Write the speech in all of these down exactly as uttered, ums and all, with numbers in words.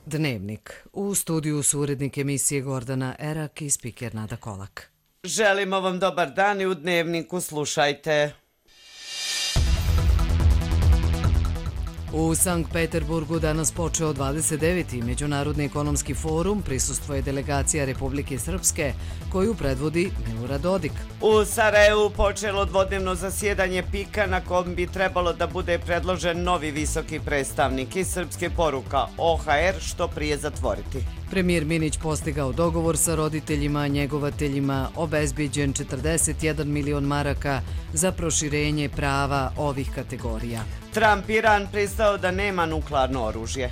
Dnevnik. U studiju su urednik emisije Gordana Erak i spiker Nada Kolak. Želimo vam dobar dan i u Dnevniku slušajte. U Sankt Peterburgu danas počeo dvadeset deveti Međunarodni ekonomski forum, prisustvuje delegacija Republike Srpske, koju predvodi Milorad Dodik. U Sarajevu počelo dvodnevno zasjedanje pika na kom bi trebalo da bude predložen novi visoki predstavnik i srpske poruka O H R što prije zatvoriti. Premijer Minić postigao dogovor sa roditeljima, njegovateljima, obezbiđen četrdeset jedan milion maraka za proširenje prava ovih kategorija. Trump Iran pristao da nema nuklearno oružje.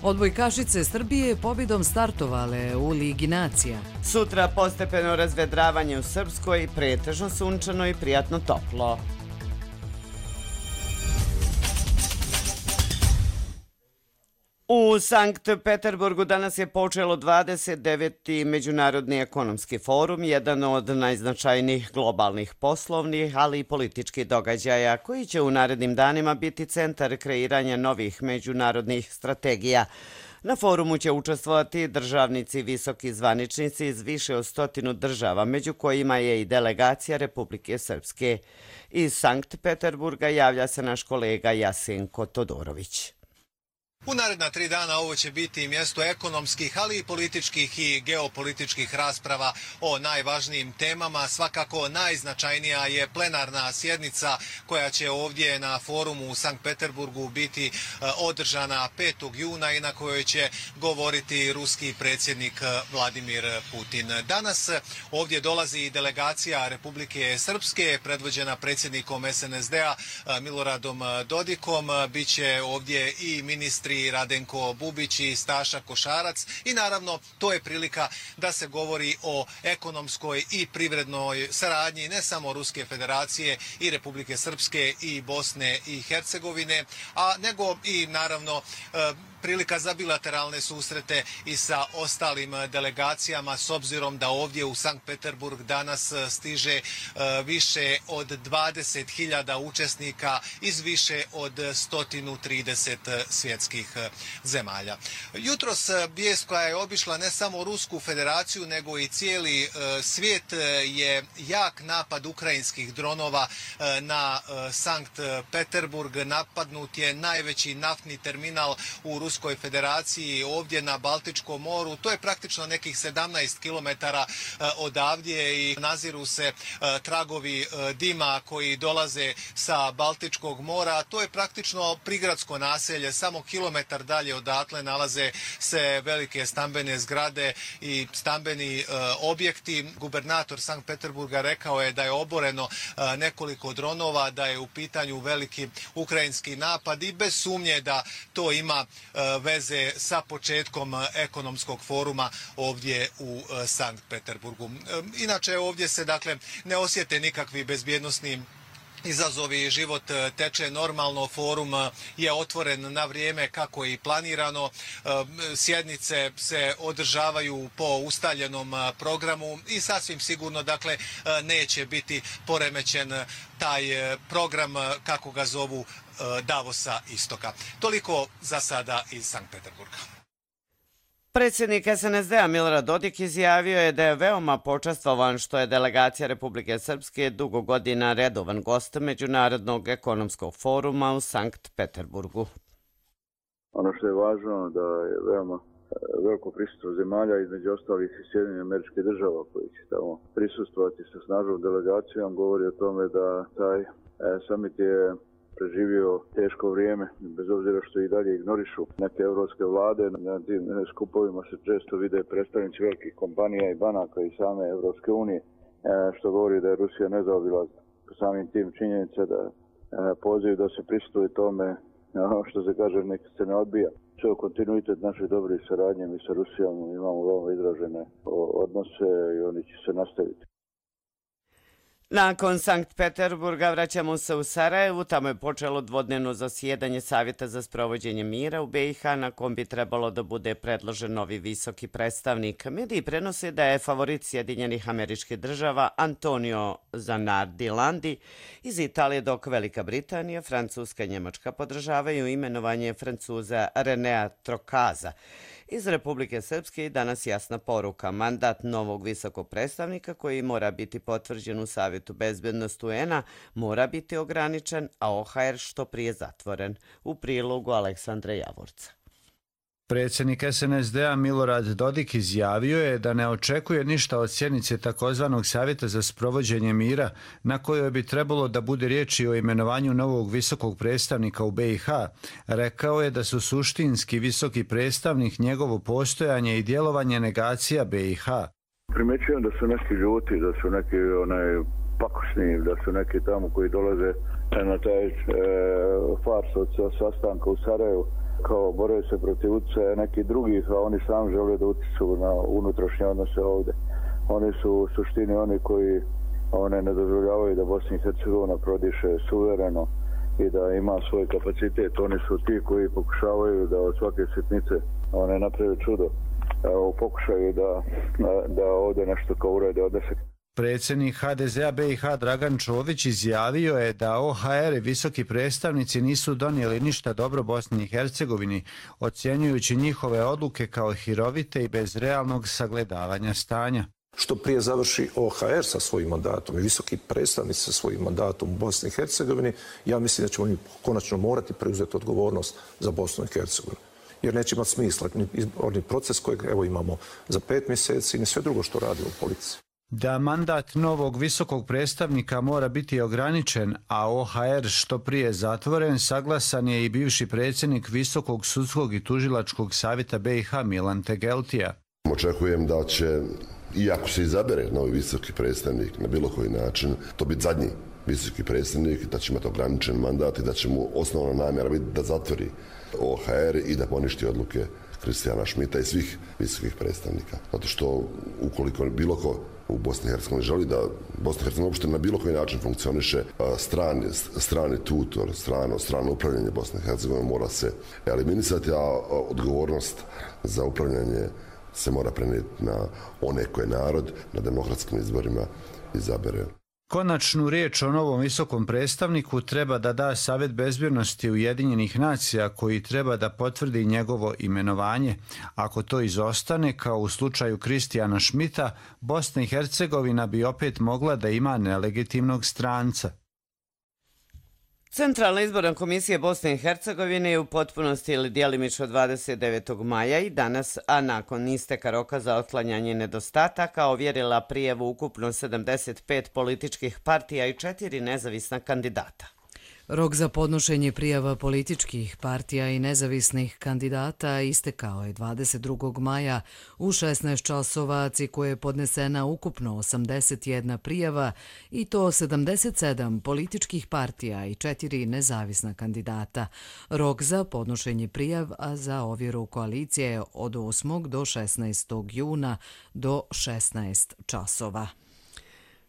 Odbojkašice Srbije pobjedom startovale u Ligi nacija. Sutra postepeno razvedravanje u Srpskoj, pretežno sunčano i prijatno toplo. U Sankt Peterburgu danas je počelo dvadeset deveti Međunarodni ekonomski forum, jedan od najznačajnijih globalnih poslovnih, ali i političkih događaja, koji će u narednim danima biti centar kreiranja novih međunarodnih strategija. Na forumu će učestvovati državnici i visoki zvaničnici iz više od stotinu država, među kojima je i delegacija Republike Srpske. Iz Sankt Peterburga javlja se naš kolega Jasenko Todorović. U naredna tri dana ovo će biti mjesto ekonomskih, ali i političkih i geopolitičkih rasprava o najvažnijim temama. Svakako najznačajnija je plenarna sjednica koja će ovdje na forumu u Sankt Peterburgu biti održana petog juna i na kojoj će govoriti ruski predsjednik Vladimir Putin. Danas ovdje dolazi i delegacija Republike Srpske, predvođena predsjednikom S N S D-a Miloradom Dodikom. Biće ovdje i ministri Radenko Bubić i Staša Košarac i naravno to je prilika da se govori o ekonomskoj i privrednoj saradnji ne samo Ruske federacije i Republike Srpske i Bosne i Hercegovine, a nego i naravno prilika za bilateralne susrete i sa ostalim delegacijama, s obzirom da ovdje u Sankt Peterburg danas stiže više od dvadeset hiljada učesnika iz više od sto trideset svjetskih zemalja. Jutros vijest koja je obišla ne samo Rusku federaciju nego i cijeli svijet je jak napad ukrajinskih dronova na Sankt Peterburg. Napadnut je najveći naftni terminal u Ruskoj federaciji ovdje na Baltičkom moru. To je praktično nekih sedamnaest kilometara odavdje i naziru se tragovi dima koji dolaze sa Baltičkog mora. To je praktično prigradsko naselje, samo kilometar dalje odatle nalaze se velike stambene zgrade i stambeni objekti. Gubernator Sankt Peterburga rekao je da je oboreno nekoliko dronova, da je u pitanju veliki ukrajinski napad i bez sumnje da to ima veze sa početkom ekonomskog foruma ovdje u Sankt Peterburgu. Inače ovdje se dakle ne osjete nikakvi bezbjednosni izazovi, život teče normalno, forum je otvoren na vrijeme kako je i planirano, sjednice se održavaju po ustaljenom programu i sasvim sigurno dakle neće biti poremećen taj program kako ga zovu Davosa istoka. Toliko za sada iz Sankt Peterburga. Predsjednik S N S D-a Milorad Dodik izjavio je da je veoma počastvovan što je delegacija Republike Srpske dugo godina redovan gost Međunarodnog ekonomskog foruma u Sankt Peterburgu. Ono što je važno da je veoma veliko prisustvo zemalja, između ostalih i Sjedinjenih Američkih Država koji će tamo prisustvovati sa snažnom delegacijom, govori o tome da taj summit je preživio teško vrijeme, bez obzira što i dalje ignorišu neke evropske vlade. Na tim skupovima se često vide predstavnici velikih kompanija i banaka i same Evropske unije, što govori da je Rusija nezaobilazna. Samim tim činjenica da poziv da se pristuje tome, ono što se kaže, nek se ne odbija. To je kontinuitet naše dobre saradnje. Mi sa Rusijom imamo veoma izražene odnose i oni će se nastaviti. Nakon Sankt Peterburga vraćamo se u Sarajevu. Tamo je počelo dvodnevno zasjedanje Savjeta za sprovođenje mira u B i H na kom bi trebalo da bude predložen novi visoki predstavnik. Mediji prenose da je favorit Sjedinjenih Američkih Država Antonio Zanardi iz Italije, dok Velika Britanija, Francuska i Njemačka podržavaju imenovanje Francuza Renea Trokaza. Iz Republike Srpske i danas jasna poruka. Mandat novog visokog predstavnika koji mora biti potvrđen u Savjetu bezbednosti U N-a mora biti ograničen, a O H R što prije zatvoren. U prilogu Aleksandra Javorca. Predsjednik S N S D-a Milorad Dodik izjavio je da ne očekuje ništa od sjednice takozvanog Savjeta za sprovođenje mira, na kojoj bi trebalo da bude riječi o imenovanju novog visokog predstavnika u B i H. Rekao je da su suštinski visoki predstavnik, njegovo postojanje i djelovanje negacija B i H. Primjećujem da su neki ljuti, da su neki onaj pakosni, da su neki tamo koji dolaze na taj e, fars od sastanka u Sarajevu, kao boraju se protiv utjecaja nekih drugih, a oni sami žele da utječu na unutrašnje odnose ovdje. Oni su u suštini oni koji one ne dozvoljavaju da Bosna i Hercegovina prodiše suvereno i da ima svoj kapacitet. Oni su ti koji pokušavaju da od svake sitnice one naprave čudo. Evo, pokušaju da, da ovdje nešto kao urede od deset. Predsjednik H D Z-a B i H Dragan Čović izjavio je da O H R i visoki predstavnici nisu donijeli ništa dobro Bosni i Hercegovini, ocjenjujući njihove odluke kao hirovite i bez realnog sagledavanja stanja. Što prije završi O H R sa svojim mandatom i visoki predstavnici sa svojim mandatom u Bosni i Hercegovini, ja mislim da ćemo mi konačno morati preuzeti odgovornost za Bosnu i Hercegovinu. Jer neće imati smisla ni proces kojeg evo imamo za pet mjeseci, ni sve drugo što radimo u politici. Da mandat novog visokog predstavnika mora biti ograničen, a O H R što prije zatvoren, saglasan je i bivši predsjednik Visokog sudskog i tužilačkog savjeta B i H Milan Tegeltija. Očekujem da će, iako se izabere novi visoki predstavnik na bilo koji način, to biti zadnji visoki predstavnik, da će imati ograničen mandat i da će mu osnovna namjera biti da zatvori O H R i da poništi odluke Kristijana Šmita i svih visokih predstavnika. Zato što ukoliko bilo ko u Bosni i Hercegovini želi da Bosna i Hercegovina uopšte na bilo koji način funkcioniše, strani, strani tutor, strano, strano upravljanje Bosne i Hercegovine mora se eliminisati, a odgovornost za upravljanje se mora prenijeti na one koje narod na demokratskim izborima izabere. Konačnu riječ o novom visokom predstavniku treba da da Savjet bezbjednosti Ujedinjenih nacija koji treba da potvrdi njegovo imenovanje. Ako to izostane, kao u slučaju Kristijana Šmita, Bosna i Hercegovina bi opet mogla da ima nelegitimnog stranca. Centralna izborna komisija Bosne i Hercegovine je u potpunosti ili djelimično dvadeset devetog maja i danas, a nakon isteka roka za otklanjanje nedostataka, ovjerila prijavu ukupno sedamdeset pet političkih partija i četiri nezavisna kandidata. Rok za podnošenje prijava političkih partija i nezavisnih kandidata istekao je dvadeset drugog maja u šesnaest časova, ciku je podnesena ukupno osamdeset jedna prijava i to sedamdeset sedam političkih partija i četiri nezavisna kandidata. Rok za podnošenje prijava za ovjeru koalicije je od osmog do šesnaestog juna do šesnaest časova.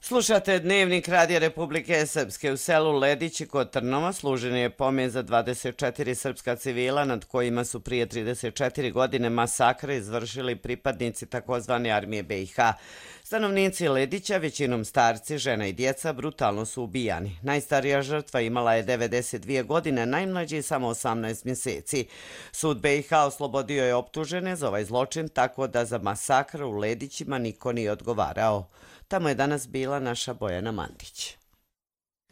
Slušate Dnevnik Radija Republike Srpske. U selu Ledići kod Trnova služen je pomen za dvadeset četiri srpska civila nad kojima su prije trideset četiri godine masakre izvršili pripadnici takozvane armije B i H. Stanovnici Ledića, većinom starci, žena i djeca, brutalno su ubijani. Najstarija žrtva imala je devedeset dvije godine, najmlađi samo osamnaest mjeseci. Sud B i H oslobodio je optužene za ovaj zločin, tako da za masakr u Ledićima niko nije odgovarao. Tamo je danas bila naša Bojana Mandić.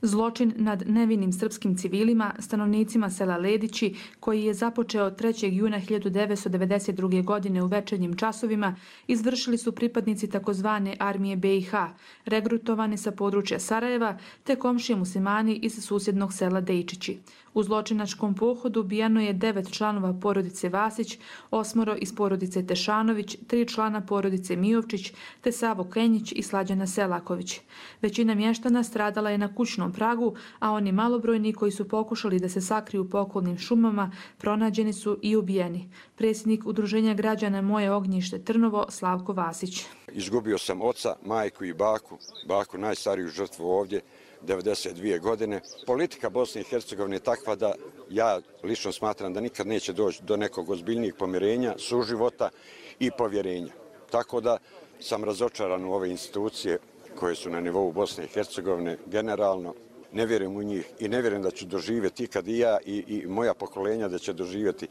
Zločin nad nevinim srpskim civilima, stanovnicima sela Ledići, koji je započeo trećeg juna hiljadu devetsto devedeset druge. godine u večernjim časovima, izvršili su pripadnici takozvane armije B i H, regrutovani sa područja Sarajeva, te komšije muslimani iz susjednog sela Dejčići. U zločinačkom pohodu ubijano je devet članova porodice Vasić, osmoro iz porodice Tešanović, tri člana porodice Mijovčić, te Savo Kenjić i Slađana Selaković. Većina mještana stradala je na kućnom pragu, a oni malobrojni koji su pokušali da se sakriju po okolnim šumama pronađeni su i ubijeni. Predsjednik Udruženja građana Moje ognjište Trnovo, Slavko Vasić. Izgubio sam oca, majku i baku, baku najstariju žrtvu ovdje, devedeset dvije godine. Politika Bosne i Hercegovine je takva da ja lično smatram da nikad neće doći do nekog ozbiljnijeg pomirenja, suživota i povjerenja. Tako da sam razočaran u ove institucije koje su na nivou Bosne i Hercegovine generalno. Ne vjerujem u njih i ne vjerujem da ću doživjeti ikad i ja i, i moja pokolenja da će doživjeti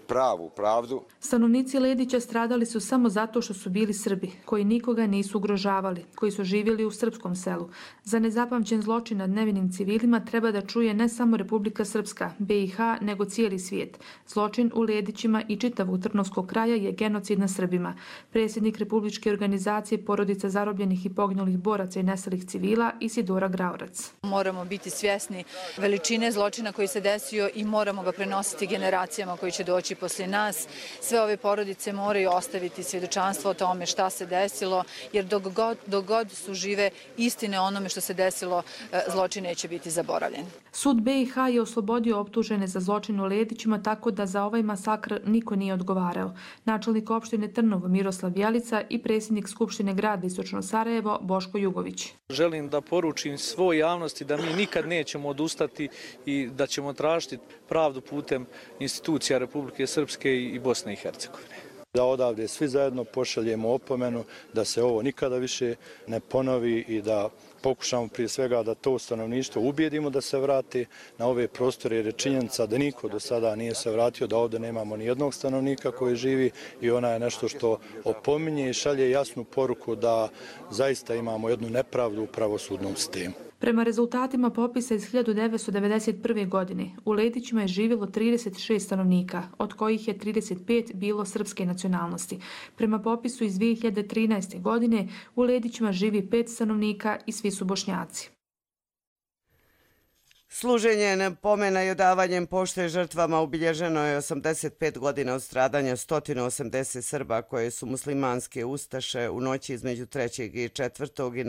pravu pravdu. Stanovnici Ledića stradali su samo zato što su bili Srbi, koji nikoga nisu ugrožavali, koji su živjeli u srpskom selu. Za nezapamćen zločin nad nevinim civilima treba da čuje ne samo Republika Srpska, B i H, nego cijeli svijet. Zločin u Ledićima i čitavog Trnovskog kraja je genocid na Srbima. Predsjednik Republičke organizacije Porodica zarobljenih i poginulih boraca i nestalih civila Isidora Graorac. Moramo biti svjesni veličine zločina koji se desio i moramo ga prenositi generacijama koji će doći poslije nas. Sve ove porodice moraju ostaviti svjedočanstvo o tome šta se desilo, jer dok god, dok god su žive istine onome što se desilo, zločin neće biti zaboravljen. Sud B i H je oslobodio optužene za zločin u Ledićima, tako da za ovaj masakr niko nije odgovarao. Načelnik opštine Trnovo Miroslav Jelica i predsjednik Skupštine grada Istočno Sarajevo Boško Jugović. Želim da poručim svoj javnosti da mi nikad nećemo odustati i da ćemo tražiti pravdu putem institucija Republike Srpske i Bosne i Hercegovine. Da odavde svi zajedno pošaljemo opomenu da se ovo nikada više ne ponovi i da pokušamo prije svega da to stanovništvo ubijedimo da se vrati na ove prostore, jer je činjenica da niko do sada nije se vratio, da ovdje nemamo ni jednog stanovnika koji živi i ona je nešto što opominje i šalje jasnu poruku da zaista imamo jednu nepravdu u pravosudnom sistemu. Prema rezultatima popisa iz hiljadu devetsto devedeset prve. godine u Ledićima je živjelo trideset šest stanovnika, od kojih je trideset pet bilo srpske nacionalnosti. Prema popisu iz dvije hiljade trinaeste. godine u Ledićima živi pet stanovnika i svi su Bošnjaci. Služenje pomena i odavanjem pošte žrtvama obilježeno je osamdeset pet godina od stradanja sto osamdeset Srba koje su muslimanske ustaše u noći između trećeg i četvrtog i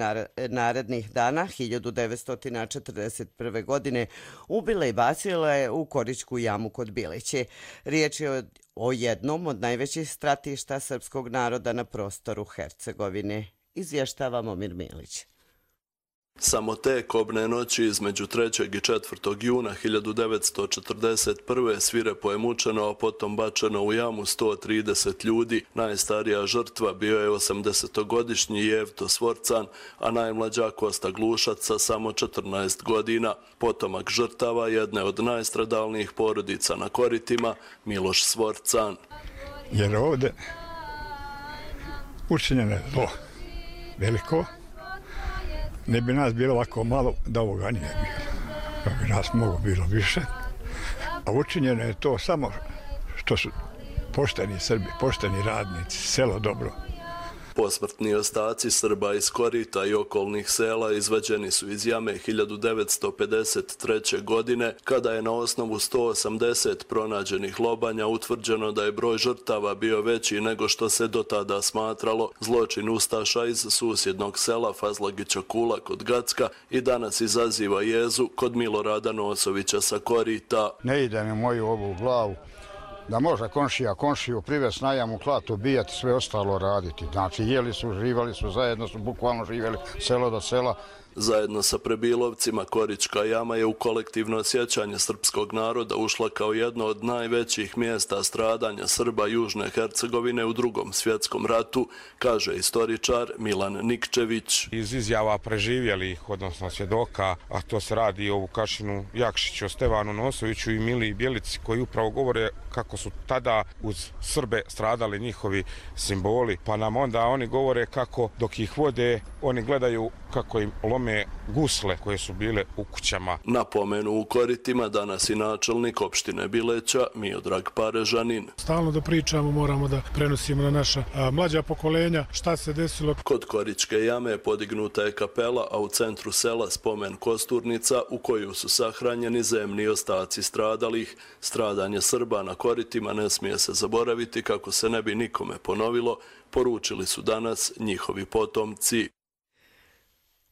narednih dana hiljadu devetsto četrdeset prve. godine ubile i bacile u Koričku jamu kod Bilići. Riječ je o jednom od najvećih stratišta srpskog naroda na prostoru Hercegovine. Izvještava Momir Milić. Samo te kobne noći između trećeg i četvrtog juna hiljadu devetsto četrdeset prve. svirepo je mučeno, a potom bačeno u jamu sto trideset ljudi. Najstarija žrtva bio je osamdesetogodišnji Jevto Svorcan, a najmlađa Kosta Glušac sa samo četrnaest godina. Potomak žrtava jedne od najstradalnijih porodica na Koritima, Miloš Svorcan. Jer ovdje učinjeno je zlo veliko. Ne bi nas bilo ovako malo da ovoga nije bilo. Da bi nas mogo bilo više. A učinjeno je to samo što su pošteni Srbi, pošteni radnici, selo dobro. Posmrtni ostaci Srba iz Korita i okolnih sela izvađeni su iz jame hiljadu devetsto pedeset treće. godine, kada je na osnovu sto osamdeset pronađenih lobanja utvrđeno da je broj žrtava bio veći nego što se do tada smatralo. Zločin ustaša iz susjednog sela Fazlagića Kula kod Gacka i danas izaziva jezu kod Milorada Nosovića sa Korita. Ne ide mi moju ovu glavu da može komšija komšiju privesti na jamu, klat, ubijati, sve ostalo raditi. Znači, jeli su, živali su, zajedno su bukvalno živjeli selo do sela. Zajedno sa Prebilovcima, Korička jama je u kolektivno sjećanje srpskog naroda ušla kao jedno od najvećih mjesta stradanja Srba Južne Hercegovine u drugom svjetskom ratu, kaže istoričar Milan Nikčević. Iz izjava preživjelih, odnosno svjedoka, a to se radi o Vukašinu Jakšiću, Stevanu Nosoviću i Miliji Bjelici, koji upravo govore kako su tada uz Srbe stradali njihovi simboli, pa nam onda oni govore kako dok ih vode, oni gledaju kako im lome gusle koje su bile u kućama. Napomenu u Koritima danas i načelnik opštine Bileća Miodrag Parežanin. Stalno da pričamo, moramo da prenosimo na naša a, mlađa pokolenja šta se desilo. Kod Koričke jame podignuta je kapela, a u centru sela spomen kosturnica u koju su sahranjeni zemni ostaci stradalih. Stradanje Srba na Koritima ne smije se zaboraviti kako se ne bi nikome ponovilo, poručili su danas njihovi potomci.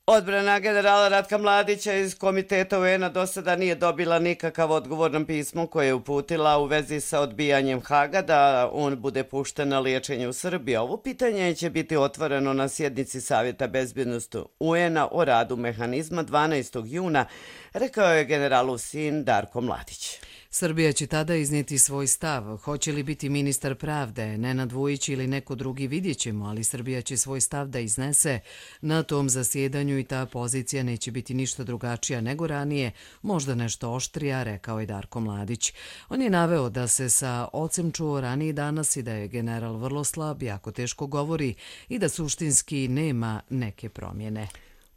Odbrana generala Ratka Mladića iz Komiteta U N-a do sada nije dobila nikakav odgovor na pismo koje je uputila u vezi sa odbijanjem Haga da on bude pušten na liječenje u Srbiji. Ovo pitanje će biti otvoreno na sjednici Savjeta bezbjednosti U N-a o radu mehanizma dvanaestog juna, rekao je generalov sin Darko Mladić. Srbija će tada iznijeti svoj stav. Hoće li biti ministar pravde, Nenad Vujić ili neko drugi, vidjet ćemo, ali Srbija će svoj stav da iznese na tom zasjedanju i ta pozicija neće biti ništa drugačija nego ranije, možda nešto oštrija, rekao je Darko Mladić. On je naveo da se sa ocem čuo raniji danas i da je general vrlo slab, jako teško govori i da suštinski nema neke promjene.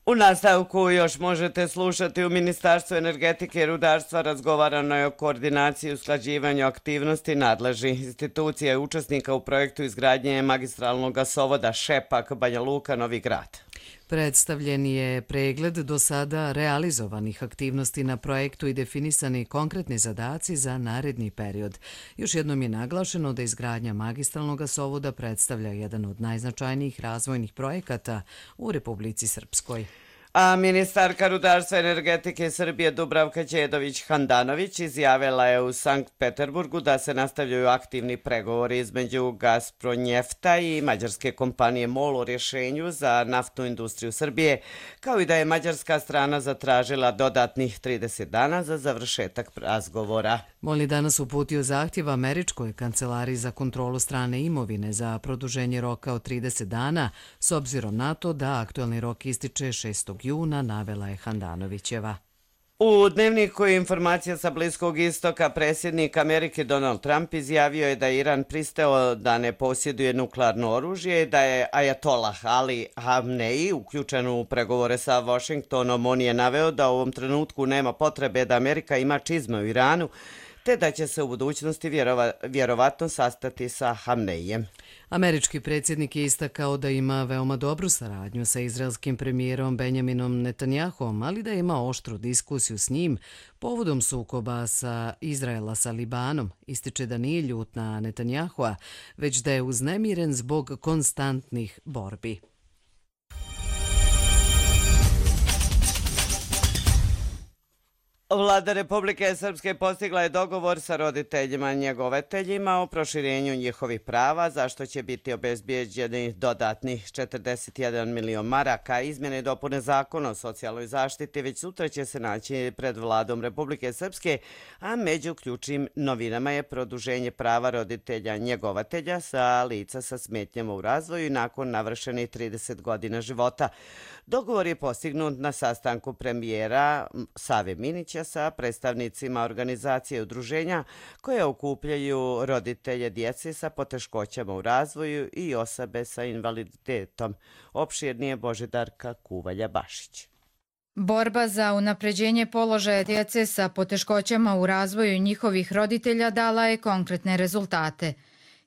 U nastavku još možete slušati u Ministarstvu energetike i rudarstva razgovarano je o koordinaciji i usklađivanju aktivnosti nadležnih institucija i učesnika u projektu izgradnje magistralnog gasovoda Šepak Banja Luka Novi Grad. Predstavljen je pregled do sada realizovanih aktivnosti na projektu i definisani konkretni zadaci za naredni period. Još jednom je naglašeno da izgradnja magistralnog gasovoda predstavlja jedan od najznačajnijih razvojnih projekata u Republici Srpskoj. A ministarka rudarstva i energetike Srbije Dubravka Đedović-Handanović izjavila je u Sankt Peterburgu da se nastavljaju aktivni pregovori između Gazpronjefta i mađarske kompanije MOL o rješenju za naftnu industriju Srbije, kao i da je mađarska strana zatražila dodatnih trideset dana za završetak razgovora. MOL je danas uputio zahtjev Američkoj kancelariji za kontrolu strane imovine za produženje roka od trideset dana, s obzirom na to da aktualni rok ističe šestog juna, navela je Handanovićeva. U dnevniku informacija sa Bliskog istoka predsjednik Amerike Donald Trump izjavio je da je Iran pristao da ne posjeduje nuklearno oružje i da je Ajatolah Ali Hamneji uključen u pregovore sa Washingtonom. On je naveo da u ovom trenutku nema potrebe da Amerika ima čizme u Iranu, te da će se u budućnosti vjerova, vjerovatno sastati sa Hamneijem. Američki predsjednik je istakao da ima veoma dobru saradnju sa izraelskim premijerom Benjaminom Netanyahom, ali da ima oštru diskusiju s njim povodom sukoba sa Izraela sa Libanom. Ističe da nije ljut na Netanyahua, već da je uznemiren zbog konstantnih borbi. Vlada Republike Srpske postigla je dogovor sa roditeljima njegovateljima o proširenju njihovih prava, za što će biti obezbijeđeni dodatnih četrdeset jedan milion maraka. Izmjene i dopune zakona o socijalnoj zaštiti već sutra će se naći pred Vladom Republike Srpske, a među ključnim novinama je produženje prava roditelja njegovatelja sa lica sa smetnjama u razvoju i nakon navršenih trideset godina života. Dogovor je postignut na sastanku premijera Save Minića sa predstavnicima organizacije i udruženja koje okupljaju roditelje djece sa poteškoćama u razvoju i osobe sa invaliditetom. Opširnije Božidarka Kuvalja-Bašić. Borba za unapređenje položaja djece sa poteškoćama u razvoju njihovih roditelja dala je konkretne rezultate.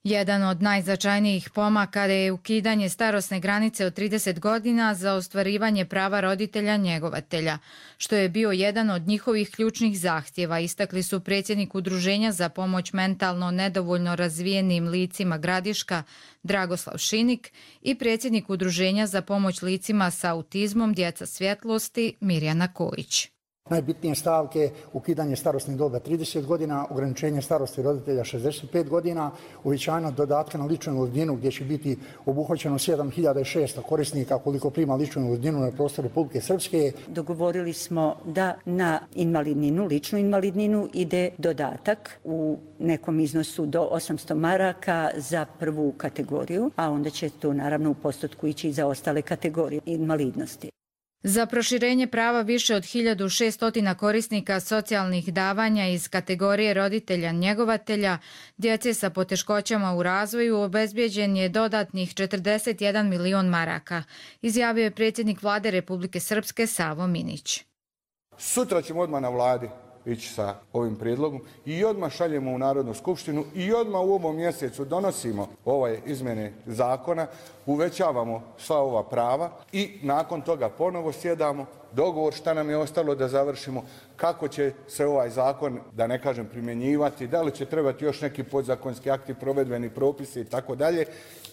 Jedan od najznačajnijih pomaka je ukidanje starosne granice od trideset godina za ostvarivanje prava roditelja njegovatelja, što je bio jedan od njihovih ključnih zahtjeva, istakli su predsjednik Udruženja za pomoć mentalno nedovoljno razvijenim licima Gradiška Dragoslav Šinik i predsjednik Udruženja za pomoć licima sa autizmom Djeca svjetlosti Mirjana Kojić. Najbitnije stavke: ukidanje starosne dobe trideset godina, ograničenje starosti roditelja šezdeset pet godina, uvećanje dodatka na ličnu invalidninu gdje će biti obuhvaćeno sedam hiljada šesto korisnika koliko prima ličnu invalidninu na prostoru Republike Srpske. Dogovorili smo da na invalidninu, ličnu invalidninu ide dodatak u nekom iznosu do osamsto maraka za prvu kategoriju, a onda će to naravno u postotku ići i za ostale kategorije invalidnosti. Za proširenje prava više od hiljadu šesto korisnika socijalnih davanja iz kategorije roditelja njegovatelja djece sa poteškoćama u razvoju obezbijeđen je dodatnih četrdeset jedan milion maraka, izjavio je predsjednik Vlade Republike Srpske Savo Minić. Sutra ćemo odmah na vladi ići sa ovim prijedlogom i odmah šaljemo u Narodnu skupštinu i odmah u ovom mjesecu donosimo ove izmjene zakona, uvećavamo sva ova prava i nakon toga ponovo sjedamo, dogovor šta nam je ostalo da završimo, kako će se ovaj zakon, da ne kažem, primjenjivati, da li će trebati još neki podzakonski akti, provedbeni propisi i tako dalje,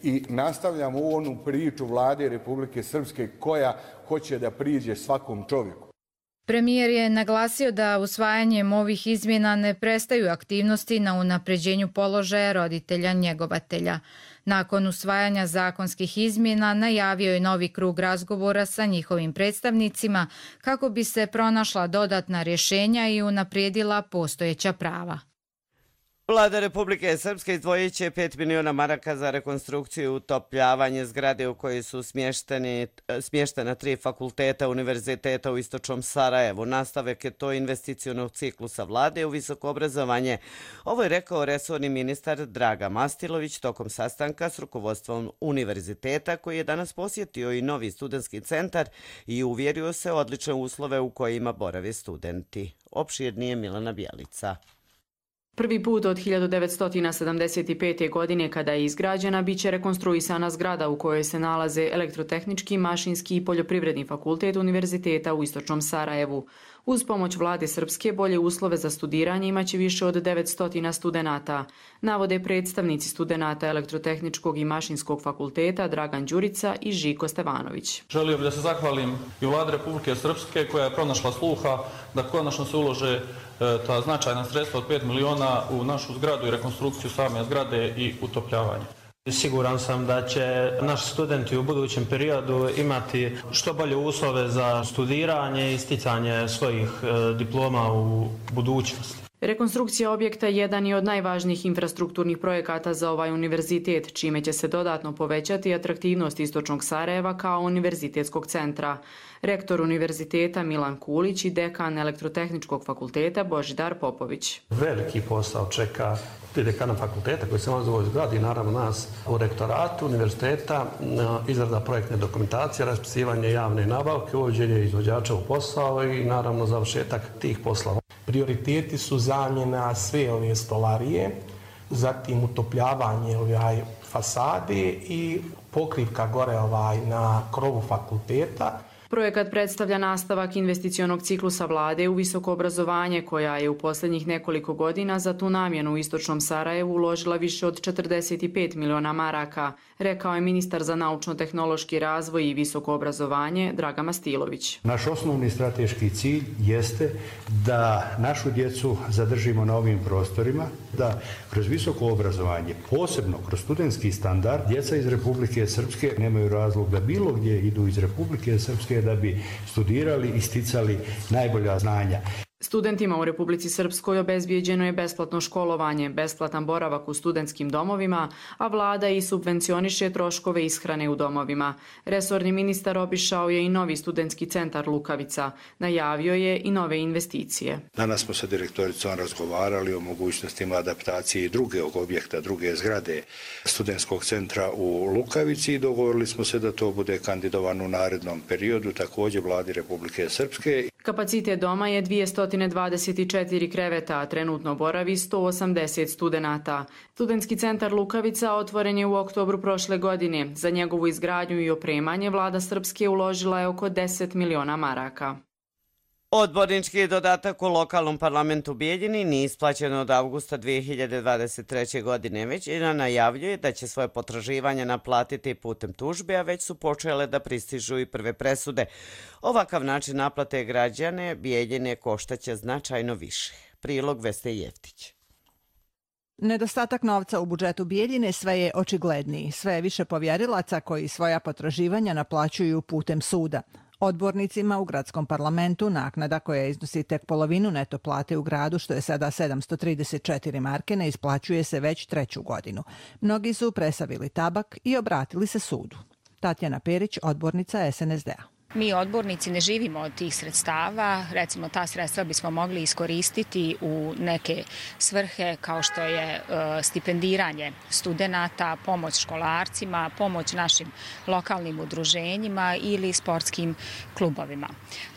i nastavljamo u onu priču Vlade Republike Srpske koja hoće da priđe svakom čovjeku. Premijer je naglasio da usvajanjem ovih izmjena ne prestaju aktivnosti na unapređenju položaja roditelja njegovatelja. Nakon usvajanja zakonskih izmjena najavio je novi krug razgovora sa njihovim predstavnicima kako bi se pronašla dodatna rješenja i unaprijedila postojeća prava. Vlada Republike Srpske izdvojit će pet miliona maraka za rekonstrukciju i utopljavanje zgrade u kojoj su smještena tri fakulteta Univerziteta u Istočnom Sarajevu. Nastavak je to investicionog ciklusa vlade u visoko obrazovanje. Ovo je rekao resorni ministar Draga Mastilović tokom sastanka s rukovodstvom univerziteta koji je danas posjetio i novi studentski centar i uvjerio se odlične uslove u kojima borave studenti. Opširnije Milana Bjelica. Prvi put od hiljadu devetsto sedamdeset pete. godine kada je izgrađena biće rekonstruisana zgrada u kojoj se nalaze Elektrotehnički, Mašinski i Poljoprivredni fakultet Univerziteta u Istočnom Sarajevu. Uz pomoć vlade Srpske bolje uslove za studiranje imaće više od devetsto studenata, navode predstavnici studenata Elektrotehničkog i Mašinskog fakulteta Dragan Đurica i Žiko Stevanović. Želio bih da se zahvalim i vladi Republike Srpske koja je pronašla sluha da konačno se ulože ta značajna sredstva od pet miliona u našu zgradu i rekonstrukciju same zgrade i utopljavanje. Siguran sam da će naši studenti u budućem periodu imati što bolje uslove za studiranje i sticanje svojih diploma u budućnosti. Rekonstrukcija objekta jedan je od najvažnijih infrastrukturnih projekata za ovaj univerzitet, čime će se dodatno povećati atraktivnost Istočnog Sarajeva kao univerzitetskog centra. Rektor univerziteta Milan Kulić i dekan Elektrotehničkog fakulteta Božidar Popović. Veliki posao čeka dekana fakulteta koji se nalazi u ovoj zgradi i naravno nas u rektoratu univerziteta, izrada projektne dokumentacije, raspisivanje javne nabavke, uvođenje izvođača u posao i naravno završetak tih poslova. Prioriteti su zamjena sve ove stolarije, zatim utopljavanje ovaj fasade i pokrivka gore ovaj na krovu fakulteta. Projekat predstavlja nastavak investicionog ciklusa vlade u visoko obrazovanje koja je u posljednjih nekoliko godina za tu namjenu u Istočnom Sarajevu uložila više od četrdeset pet miliona maraka, rekao je ministar za naučno-tehnološki razvoj i visoko obrazovanje Draga Mastilović. Naš osnovni strateški cilj jeste da našu djecu zadržimo na ovim prostorima, da kroz visoko obrazovanje, posebno kroz studentski standard, djeca iz Republike Srpske nemaju razlog da bilo gdje idu iz Republike Srpske da bi studirali i sticali najbolja znanja. Studentima u Republici Srpskoj obezbijeđeno je besplatno školovanje, besplatan boravak u studentskim domovima, a vlada i subvencioniše troškove ishrane u domovima. Resorni ministar obišao je i novi studentski centar Lukavica. Najavio je i nove investicije. Danas smo sa direktoricom razgovarali o mogućnostima adaptacije drugog objekta, druge zgrade studentskog centra u Lukavici i dogovorili smo se da to bude kandidovano u narednom periodu, također vladi Republike Srpske. Kapacitet doma je dvjesto dvadeset četiri kreveta, a trenutno boravi sto osamdeset studenata. Studentski centar Lukavica otvoren je u oktobru prošle godine. Za njegovu izgradnju i opremanje vlada Srpske uložila je oko deset miliona maraka. Odbornički dodatak u lokalnom parlamentu Bijeljini nije isplaćen od avgusta dvije hiljade dvadeset treće. godine. Većina najavljuje da će svoje potraživanja naplatiti putem tužbe, a već su počele da pristižu i prve presude. Ovakav način naplate građane Bijeljine koštaće značajno više. Prilog Veste Jeftić. Nedostatak novca u budžetu Bijeljine sve je očigledniji. Sve je više povjerilaca koji svoja potraživanja naplaćuju putem suda. Odbornicima u gradskom parlamentu naknada koja iznosi tek polovinu neto plate u gradu, što je sada sedamsto trideset četiri marke, ne isplaćuje se već treću godinu. Mnogi su presavili tabak i obratili se sudu. Tatjana Perić, odbornica es en es de a. Mi odbornici ne živimo od tih sredstava, recimo ta sredstva bismo mogli iskoristiti u neke svrhe kao što je stipendiranje studenata, pomoć školarcima, pomoć našim lokalnim udruženjima ili sportskim klubovima.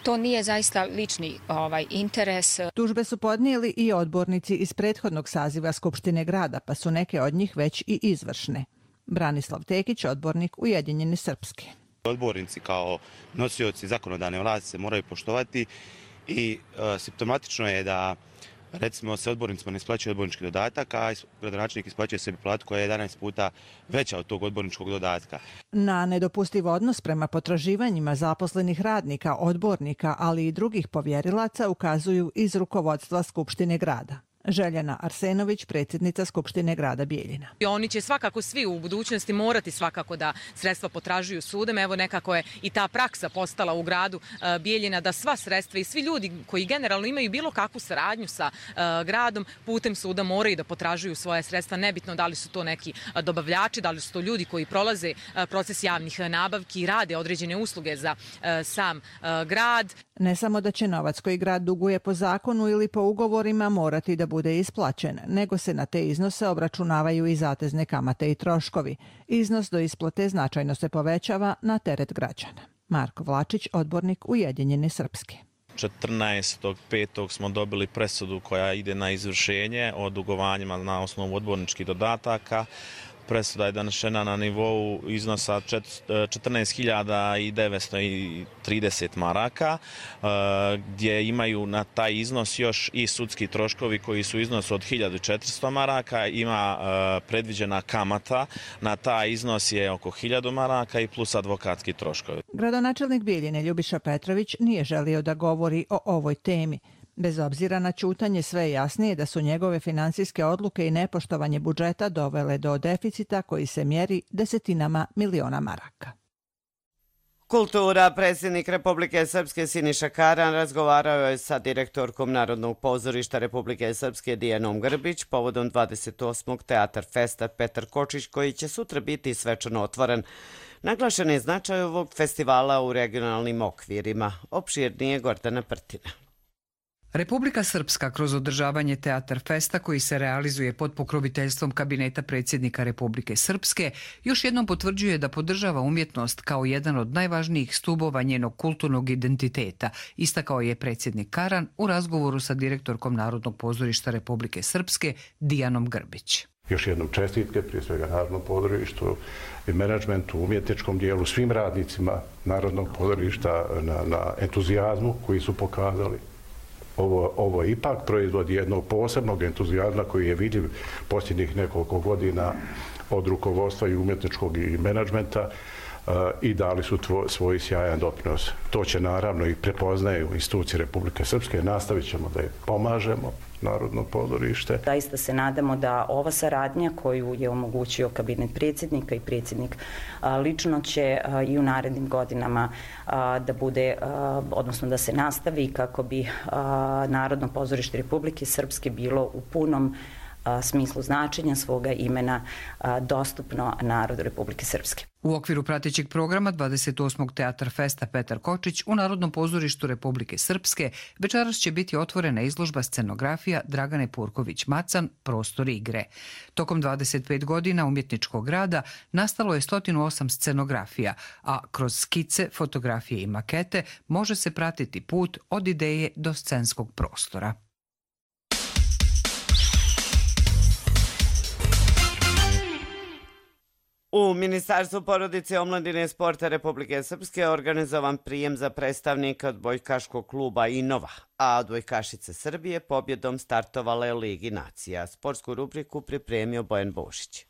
To nije zaista lični ovaj, interes. Tužbe su podnijeli i odbornici iz prethodnog saziva Skupštine grada, pa su neke od njih već i izvršne. Branislav Tekić, odbornik Ujedinjene Srpske. Odbornici kao nosioci zakonodavne vlasti se moraju poštovati i e, simptomatično je da recimo se odbornicima ne isplaćuje odbornički dodatak, a gradonačelnik isplaćuje sebi platu koja je jedanaest puta veća od tog odborničkog dodatka. Na nedopustiv odnos prema potraživanjima zaposlenih radnika, odbornika, ali i drugih povjerilaca ukazuju iz rukovodstva Skupštine grada. Željana Arsenović, predsjednica Skupštine grada Bijeljina. Oni će svakako svi u budućnosti morati svakako da sredstva potražuju sudom. Evo nekako je i ta praksa postala u gradu Bijeljina da sva sredstva i svi ljudi koji generalno imaju bilo kakvu saradnju sa gradom putem suda moraju da potražuju svoje sredstva. Nebitno da li su to neki dobavljači, da li su to ljudi koji prolaze proces javnih nabavki i rade određene usluge za sam grad. Ne samo da će novac koji grad duguje po zakonu ili po ugovorima morati da bude isplaćen, nego se na te iznose obračunavaju i zatezne kamate i troškovi. Iznos do isplate značajno se povećava na teret građana. Marko Vlačić, odbornik Ujedinjene Srpske. četrnaestog petog smo dobili presudu koja ide na izvršenje o dugovanjima na osnovu odborničkih dodataka. Presuda je donešena na nivou iznosa četrnaest hiljada devetsto trideset maraka, gdje imaju na taj iznos još i sudski troškovi koji su iznos od hiljadu četiristo maraka. Ima predviđena kamata, na taj iznos je oko hiljadu maraka i plus advokatski troškovi. Gradonačelnik Bijeljine Ljubiša Petrović nije želio da govori o ovoj temi. Bez obzira na ćutanje, sve je jasnije da su njegove finansijske odluke i nepoštovanje budžeta dovele do deficita koji se mjeri desetinama miliona maraka. Kultura. Predsjednik Republike Srpske Siniša Karan razgovarao je sa direktorkom Narodnog pozorišta Republike Srpske Dijanom Grbić povodom dvadeset osmog Teatar Festa Petar Kočić, koji će sutra biti svečano otvoren. Naglašen je značaj ovog festivala u regionalnim okvirima. Opširnije Gordana Prtina. Republika Srpska kroz održavanje Teatar Festa koji se realizuje pod pokroviteljstvom kabineta predsjednika Republike Srpske još jednom potvrđuje da podržava umjetnost kao jedan od najvažnijih stubova njenog kulturnog identiteta, istakao je predsjednik Karan u razgovoru sa direktorkom Narodnog pozorišta Republike Srpske Dijanom Grbić. Još jednom čestitke, prije svega Narodnom pozorištu i menadžmentu, umjetničkom dijelu, svim radnicima Narodnog pozorišta na, na entuzijazmu koji su pokazali. Ovo, ovo je ipak proizvod jednog posebnog entuzijazma koji je vidljiv posljednjih nekoliko godina od rukovodstva i umjetničkog i menadžmenta uh, i dali su tvo, svoj sjajan doprinos. To će naravno i prepoznaju institucije Republike Srpske. Nastavit ćemo da je pomažemo, Narodno pozorište. Zaista se nadamo da ova saradnja koju je omogućio kabinet predsjednika i predsjednik lično će i u narednim godinama da bude, odnosno da se nastavi kako bi Narodno pozorište Republike Srpske bilo u punom smislu značenja svoga imena dostupno narodu Republike Srpske. U okviru pratećeg programa dvadeset osmog Teatar Festa Petar Kočić u Narodnom pozorištu Republike Srpske večeras će biti otvorena izložba scenografija Dragane Purković-Macan Prostor igre. Tokom dvadeset pet godina umjetničkog rada nastalo je sto osam scenografija, a kroz skice, fotografije i makete može se pratiti put od ideje do scenskog prostora. U Ministarstvu porodice, omladine i sporta Republike Srpske je organizovan prijem za predstavnika odbojkaškog kluba Inova, a odbojkašice Srbije pobjedom startovale Ligi nacija. Sportsku rubriku pripremio Bojan Bošić.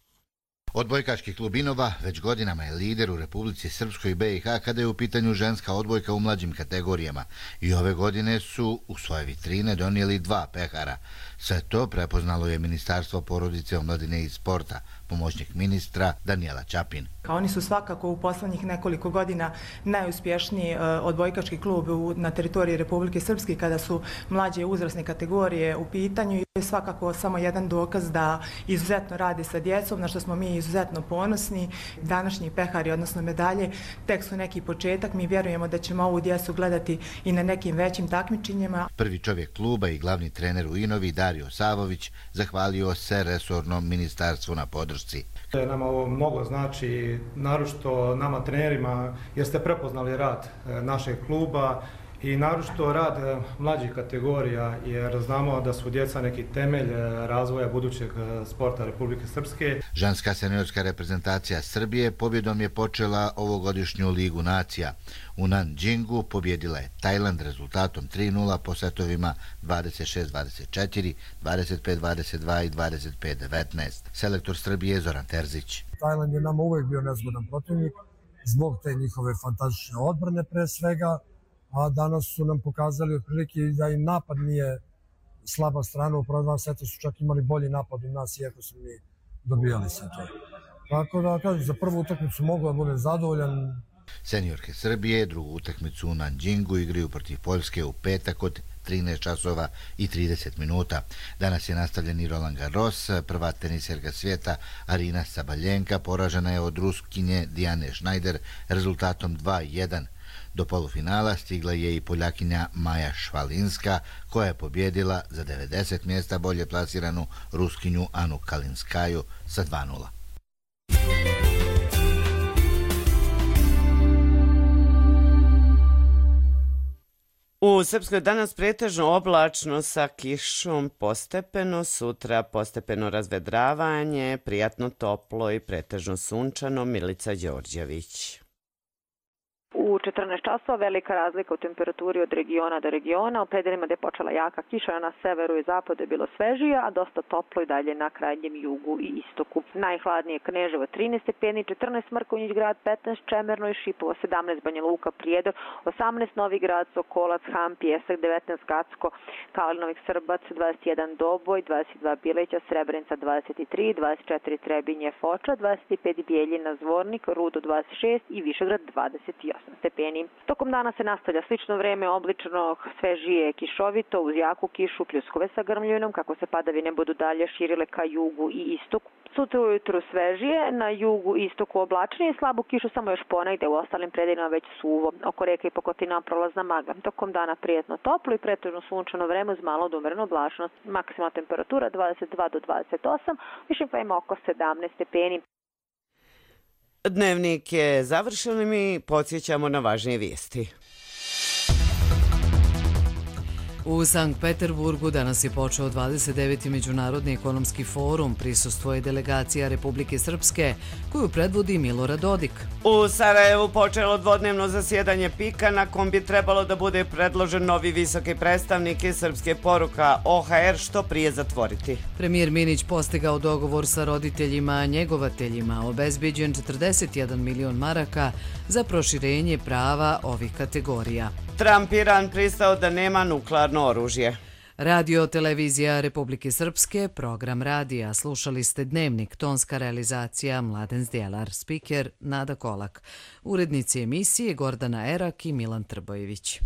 Odbojkaški klub Inova već godinama je lider u Republici Srpskoj i B i H kada je u pitanju ženska odbojka u mlađim kategorijama i ove godine su u svoje vitrine donijeli dva pehara. Sve to prepoznalo je Ministarstvo porodice, omladine i sporta, pomoćnik ministra Danijela Ćapin. Oni su svakako u poslednjih nekoliko godina najuspješniji odbojkaški klub na teritoriji Republike Srpske kada su mlađe uzrasne kategorije u pitanju i je svakako samo jedan dokaz da izuzetno radi sa djecom, na što smo mi izuzetno ponosni. Današnji pehari, odnosno medalje, tek su neki početak. Mi vjerujemo da ćemo ovu djecu gledati i na nekim većim takmičenjima. Prvi čovjek kluba i glavni trener u Inovi, Dario Savović, zahvalio se resornom ministarstvu na podršci. Nama ovo mnogo znači, naročito nama trenerima, jer ste prepoznali rad našeg kluba i naročito rad mlađih kategorija, jer znamo da su djeca neki temelj razvoja budućeg sporta Republike Srpske. Ženska seniorska reprezentacija Srbije pobjedom je počela ovogodišnju Ligu nacija. U Nanjingu pobjedila je Tajland rezultatom tri nula po setovima dvadeset šest dvadeset četiri, dvadeset pet dvadeset dva i dvadeset pet devetnaest. Selektor Srbije Zoran Terzić. Tajland je nama uvijek bio nezgodan protivnik zbog te njihove fantastične odbrane pre svega, a danas su nam pokazali otprilike da i napad nije slaba strana. U prva dva seta su čak imali bolji napad od nas, iako su mi dobijali setove. Tako da, kažem, za prvu utakmicu mogu da budem zadovoljan. Seniorke Srbije drugu utakmicu u Nanjingu igraju protiv Poljske u petak od trinaest časova i trideset minuta. Danas je nastavljen i Roland Garros. Prva teniserka svijeta Arina Sabaljenka poražena je od Ruskinje Dijane Schneider rezultatom dva jedan. Do polufinala stigla je i Poljakinja Maja Švalinska, koja je pobjedila za devedeset mjesta bolje plasiranu Ruskinju Anu Kalinskaju sa dva nula. U Srpskoj danas pretežno oblačno sa kišom postepeno, sutra postepeno razvedravanje, prijatno toplo i pretežno sunčano. Milica Đorđević. U četrnaest časova velika razlika u temperaturi od regiona do regiona. U predelima gde je počela jaka kiša na severu i zapadu je bilo svežije, a dosta toplo i dalje na krajnjem jugu i istoku. Najhladnije Kneževo trinaest stepeni, četrnaest Mrkonjić Grad, petnaest Čemerno i Šipovo, sedamnaest Banja Luka, Prijedor, osamnaest Novi Grad, Sokolac, Ham, Pjesak, devetnaest Kacko, Kalinovik, Srbac, dvadeset jedan Doboj, dvadeset dva Bileća, Srebrenica dvadeset tri, dvadeset četiri Trebinje, Foča, dvadeset pet Bijeljina, Zvornik, Rudo dvadeset šest i Višegrad dvadeset osam stepeni. Tokom dana se nastavlja slično vreme, oblično svežije kišovito uz jaku kišu, pljuskove sa grmljinom, kako se padavine budu dalje širile ka jugu i istoku. Sutra ujutru svežije, na jugu i istoku oblačnije, slabu kišu samo još ponegde, u ostalim predelima već suvo. Oko reke i Pokotina prolazna magla. Tokom dana prijetno toplo i pretežno sunčano vreme uz malo odumrenu oblačnost. Maksimalna temperatura dvadeset dva do dvadeset osam, višim klima oko sedamnaest stepeni. Dnevnik je završen i mi podsjećamo na važnije vijesti. U Sankt Peterburgu danas je počeo dvadeset deveti Međunarodni ekonomski forum. Prisustvuje delegacija Republike Srpske, koju predvodi Milorad Dodik. U Sarajevu počelo dvodnevno zasjedanje pika, na kom bi trebalo da bude predložen novi visoki predstavnik i srpske poruka O H R što prije zatvoriti. Premijer Minić postigao dogovor sa roditeljima, njegovateljima, obezbeđen četrdeset jedan milion maraka za proširenje prava ovih kategorija. Trump Iran pristao da nema nuklearno oružje. Radio Televizija Republike Srpske, program radija. Slušali ste Dnevnik, tonska realizacija Mladen Zdjelar, spiker Nada Kolak, urednici emisije Gordana Erak i Milan Trbojević.